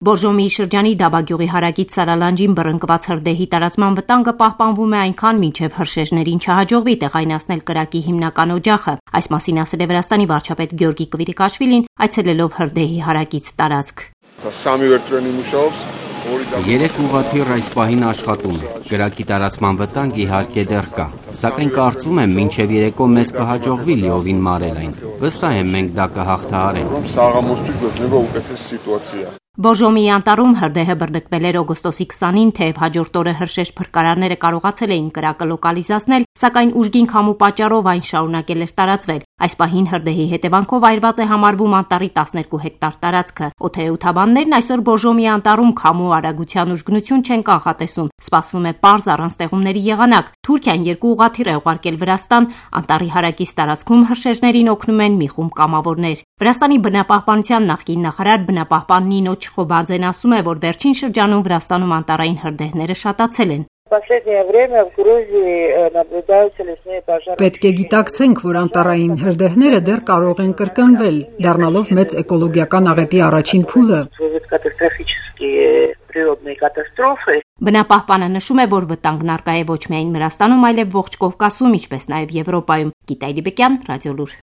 Բորժոմիի շրջանի Դաբագյուղի հարակից Սարալանջին բռնկված հրդեհի տարածման վտանգը պահպանվում է այնքան, մինչև հրշեջներին չհաջողվի տեղայնացնել կրակի հիմնական օջախը։ Այս մասին ասել է Վրաստանի վարչապետ Գյորգի Կվիրիկաշվիլին, այցելելով հրդեհի հարակից տարածք։ 3 ուղղաթիռ այս պահին աշխատում է։ Կրակի տարածման վտանգ իհարկե դեռ կա, սակայն կարծում եմ մինչև երեկո մեզ կհաջողվի լիովին մարել այն։ Վստահ եմ մենք դա կհաղթահարենք։ Բորժոմիի անտառում հրդեհը բռնկվել էր օգոստոսի 20-ին, թեև հաջորդ օրը հրշեջ փրկարարները կարողացել էին կրակը լոկալիզացնել, սակայն ուժգին քամու պատճառով այն շարունակել էր տարածվել։ Այս պահին հրդեհի հետևանքով այրված է համարվում անտառի 12 հեկտար տարածքը։ Օդերեութաբաններն այսօր Բորժոմիի անտառում քամու արագության ուժգնություն չեն կանխատեսում։ Սպասվում է պարզ առանց ստեղումների եղանակ։ Թուրքիան 2 ուղղաթիռ է ուղարկել Վրաստան, անտառի հարակից տարածքում հրշեջներին օգնում են մի խումբ կամավորներ։ Վրաստանի բնապահպանության նախկին նախարար բնապահպան Նինո Չխոբաձեն ասում է, որ վերջին շրջանում Վրաստանում անտառային հրդեհները շատացել են։ Պետք է գիտակցենք, որ անտառային հրդեհները դեռ կարող են կրկնվել, դառնալով մեծ էկոլոգիական աղետի առաջին փուլը։ Բնապահպանը նշում է, որ վտանգն առկա է ոչ միայն Վրաստանում, այլև ողջ Կովկասում, ինչպես նաև Եվրոպայում։ Գիտա Իլիբեկյան, Ռադիոլուր։